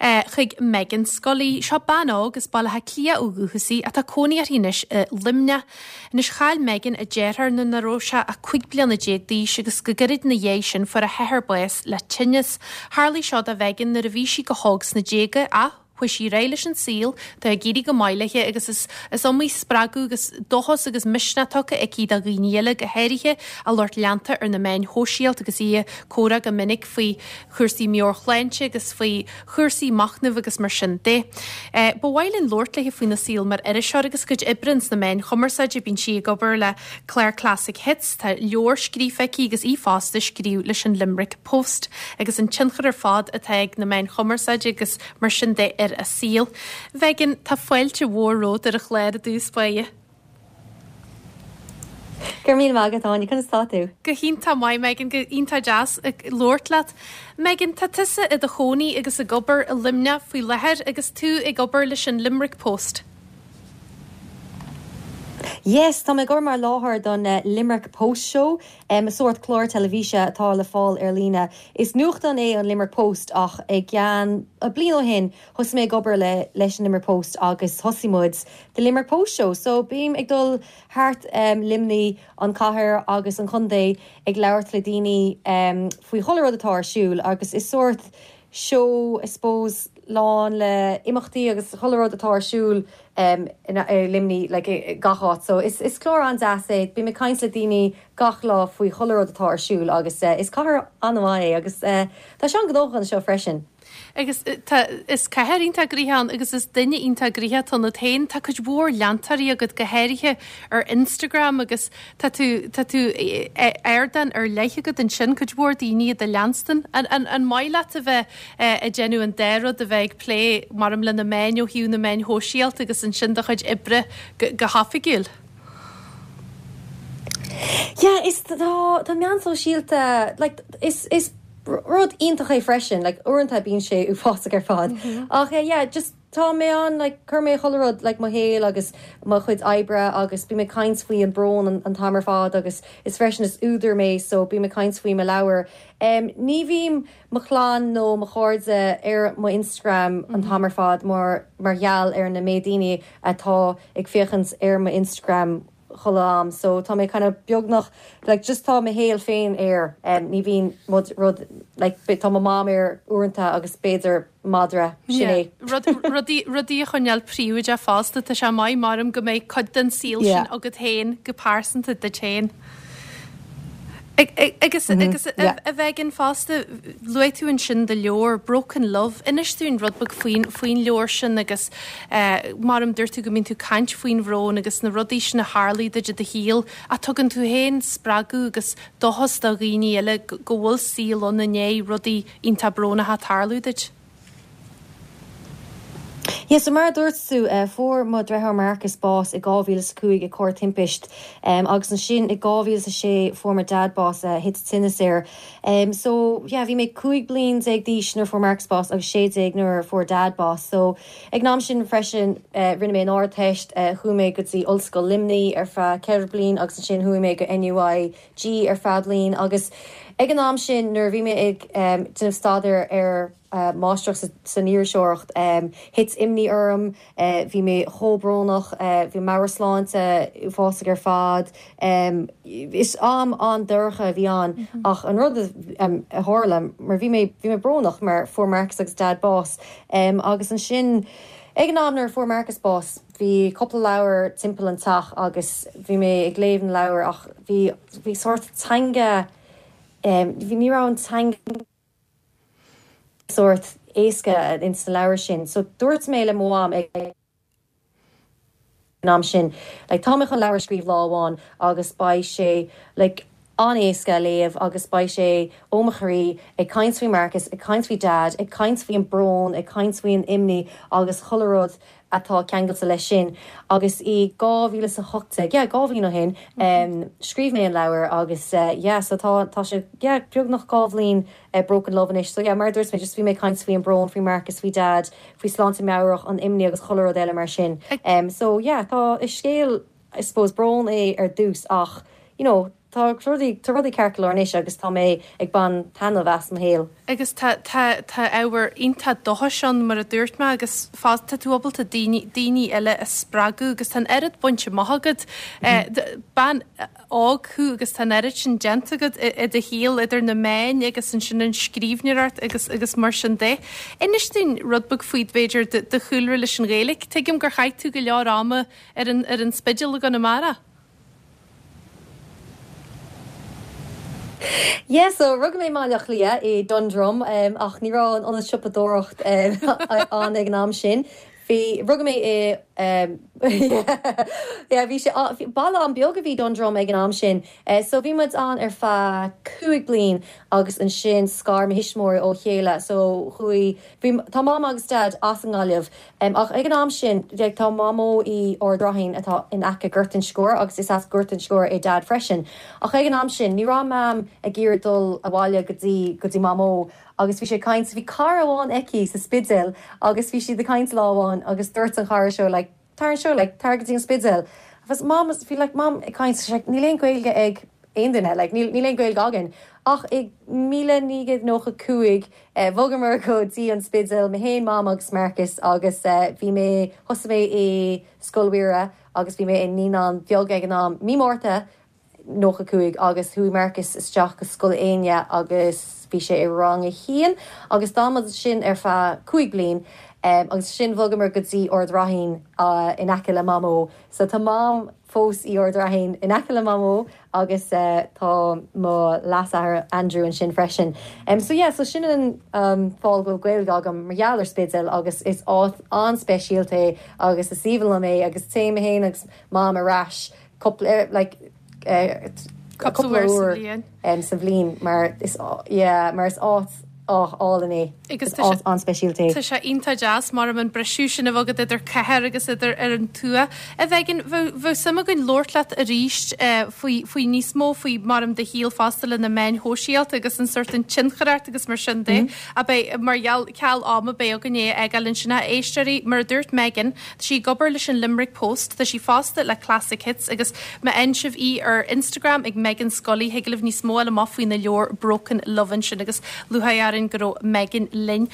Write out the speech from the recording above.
Chuig Meghan Scully. Seo bean óg as Baile Átha Cliath ó dhúchas í atá cónaí uirthi anois i Luimneach. Anois chaill Meghan a deartháir nuair nach raibh sé ach 15 bliana d'aois agus go gairid ina dhiaidh sin fuair a hathair bás le tinneas. Tharlaigh seo do Mhegan nuair a bhí sí go hóg sna déaga ach chuaigh sí ar aghaidh leis an saol, tá ag éirí go maith léi agus is is iomaí spreagadh agus dóchas agus misneach tugtha aici do dhaoine eile, go háirithe a lucht leanta ar na meáin shóisialta agus í ag comhrá go minic faoi chúrsaí meabhairshláinte agus faoi chúrsaí machnaimh agus mar sin de. Ba mhaith linn labhairt léi faoina saol mar iriseoir agus a cuid oibre ins na meáin chumarsáide. Bíonn sí ag obair le clár Classic Hits, tá leabhar scríofa aici agus í fosta ag scríobh leis an Limerick Post agus an tionchar ar fad atá ag na meáin chumarsáide agus mar sin de ar a saol. Mhegan, tá fáilte mhór romhat ar an chlár i dtús báire. Go raibh míle maith agat, Áine. Conas tá tú? Go hiontach maith, Megan. Go iontach deas labhairt leat. Megan, tá tusa i do chónaí agus ag obair i Luimneach faoi láthair agus tú ag obair leis an Limerick Post. Yes, tá mé ag obair mar láithreoir don Limerick Post Show, sórt clár teilifíse atá le fáil ar líne. Is nuachtán é an Limerick Post ach i gceann bliain ó shin Thosaigh mé ag obair le leis an Limerick Post agus thosaigh muid The Limerick Post Show. So bím ag dul thart Luimnigh, an cathair agus an chontae ag labhairt le daoine faoi chuile rud atá ar siúl agus is sórt seó I suppose lán le imeachtaí agus chuile rud atá ar siúl i Luimnigh like i gach áit. So is is clár an-deas é. Bím ag caint le daoine gach lá faoi chuile rud atá ar siúl agus is cathair an-mhaith é agus tá sé an-ghnóthach anseo freisin. Agus tá, is cathair iontach gnoitheach ann agus is duine iontach gnoitheach atá ionat féin. Tá cuid mhór leantóirí agat, go háirithe ar Instagram agus tá tú, tá tú, ardán ar leith agat ansin, cuid mhór daoine i do leanstan. An, an, an maith leat a bheith ag déanamh an dá rud, a bheith ag plé, maram le na meáin ó thaobh na meáin shóisialta agus ansin do chuid oibre go, go hoifigiúil? Yeah, is tá, tá meán sóisialta, like, is, is, Rud iontach é freisin, like uaireanta bíonn sé uafásach ar fad. Ach eh yeah, just tá mé ann like cuir mé chuile rud like mo shaol agus mo chuid oibre agus bím ag caint faoi an brón an t-am ar fad agus is freisin is údar mé so bím ag caint faoi mo leabhar. Em ní bhím mo chlann nó mo chairde ar mo Instagram an t-am ar fad mar mar gheall ar na méid daoine atá ag féachaint ar mo Instagram chuile am so tá mé kind of beagnach like just tá mo shaol féin air em ní bhíonn rud rud like tá mo mom air uaireanta agus b'fhéidir madra sin é. Rud rudaí rudaí a choinneáil príobháideach fosta tá sé maith maram go mbeidh cuid den saol sin agat féin go pearsanta duit féin. Agus agus a Mhegan fosta luaigh tú ansin do leabhar Broken Love. Inis dúinn rud beag faoin faoin leabhar sin agus maram dúirt tú go mbíonn tú ag caint faoin bhrón agus na rudaí sin a tharlaigh duit i do shaol ach tugann tú féin spreagadh agus dóchas do dhaoine eile go bhfuil saol ann i ndiaidh rudaí iontach brónacha tarlú duit. Yeah, so mar a dúirt tú, fuair mo dhriotháir Marcus bás i 2005 i carr timpist agus ansin i 2006 fuair mo dad bás, thit tinneas air. So yeah, bhí mé 15 bliain d'aois nuair a fuair Marcus bás agus 16 nuair a fuair dad bás. So ag an am sin freisin rinne mé an Ardteist, chuaigh mé go dtí Ollscoil Luimnigh ar feadh 4 bliain agus ansin chuaigh mé go NUIG ar feadh bliain agus ag an am sin nuair a bhí mé ag déanamh staidéar ar máistreacht san iriseoireacht. Thit imní orm, bhí mé chomh brónach, bhí meabhairshláinte uafásach ar fad. Is am an-dorcha a bhí ann ach an rud a tharla, mar bhí mé, bhí mé brónach mar fuair Marcus agus Dad bás agus ansin ag an am nuair a fuair Marcus bás, bhí cúpla leabhar timpeall an teach agus bhí mé ag léamh na leabhar ach bhí, bhí sórt teanga, bhí, ní raibh an teanga. sórt éasca ins na leabhair sin. So dúirt mé le mo mham ag an am sin like tá mé chun leabhar a scríobh lá amháin agus beidh sé like an-éasca a léamh agus beidh sé ó mo chroí, ag caint faoi Marcus, ag caint faoi Dad, ag caint faoi an brón, ag caint faoi an imní agus chuile rud atá ceangailte leis sin. Agus i 2018, yeah, 2 bhliain ó shin, scríobh mé an leabhar agus yeah, so tá, tá sé, yeah, beagnach 2 bhliain Broken Love anois. So yeah, mar a dúirt mé, just bhí mé ag caint faoi an brón, faoi Marcus, faoi Dad, faoi sláinte meabhrach, an imní agus chuile rud eile mar sin. So yeah, tá, is scéal, I suppose, brón é ar dtús ach, you know,. tá rudaí, tá rudaí ceart go leor anois agus tá mé ag baint taitneamh as mo shaol. Agus tá, tá, tá ábhar iontach dóchais ann mar a dúirt mé agus fosta tá tú ábalta daoine, daoine eile a spreagadh agus tá an oiread bainte amach agat. Bean óg thú agus tá an oiread sin déanta agat i do shaol idir na meáin agus ansin an scríbhneoireacht agus, agus mar sin de. Inis dúinn rud beag faoi b'fhéidir do, do chúlra leis an Ghaeilge. Tuigim gur chaith tú go leor ama ar an, ar an Spidéal i gConamara. Yeah so rugadh mé i mBaile Átha Cliath i Dundrum ach ní raibh an ionad siopadóireacht ann ag an am sin. Bhí, rugadh mé i yeah bhí sé, baile an-beag a bhí Dundrum ag an am sin. So bhí muid ann ar feadh 5 bliain agus ansin scar mo thuismitheoirí ó chéile so chuaigh, bhí, tá Mam agus Dad as an nGaillimh Ach ag an am sin, tá Mamó i Ard Raithin atá in aice Gort an Sciúir agus is as Gort an Sciúir é Dad freisin. Ach ag an am sin, ní raibh Mam ag iarraidh dul abhaile go dtí, go dtí Mamó agus bhí sé ag caint, bhí cara amháin aici sa Spidéal agus bhí siad ag caint lá amháin agus dúirt an chara seo like, tar anseo, like, tar go dtí an Spidéal. Agus Mam, bhí like Mam ag caint, like, níl aon Gaeilge ag aon duine, like, níl, níl aon Gaeilge againn. Ach i 1995, Bhogamar go dtí an Spidéal, mé féin, Mam agus Marcus agus bhí mé, thosaigh mé i Scoil Mhuire agus bhí mé i naíonán bheag ag an am, mí Márta 95 agus chuaigh Marcus isteach go Scoil Éinne agus bhí sé i rang a haon agus d'fhan muid ansin ar feadh 5 bliain agus ansin bhogamar go dtí Ard Raithin in aice le Mamó. So tá Mam fós i Ard Raithin in aice le Mamó agus tá mo leasathair Andrew ansin freisin. So yeah, so sin an fáth go bhfuil Gaeilge agam mar gheall ar Spidéal agus is áit an-speisialta é agus is aoibhinn liom é agus téim mé féin agus Mam ar ais cúpla like cúpla uair sa bhliain mar is yeah mar is áit álainn é. Agus tá sé an-speisialta é. Tá sé iontach deas mar an briseadh sin a bheith agat idir cathair agus idir ar an tuath. A Mhegan, bheadh suim againn labhairt leat arís faoi faoi níos mó faoi mar do shaol fosta le na meáin shóisialta agus an sórt an tionchar ort agus mar sin de. Ach beidh mar gheall ceal ama beidh againn é a fhágáil ansin. A éisteoirí, mar a dúirt Megan, Tá sí ag obair leis an Limerick Post, tá sí fosta le Classic Hits agus má fhaigheann sibh í ar Instagram ag Megan Scully thig libh níos mó a fháil amach faoina leabhar Broken Love ansin agus lúcháir orainn go raibh Megan linn.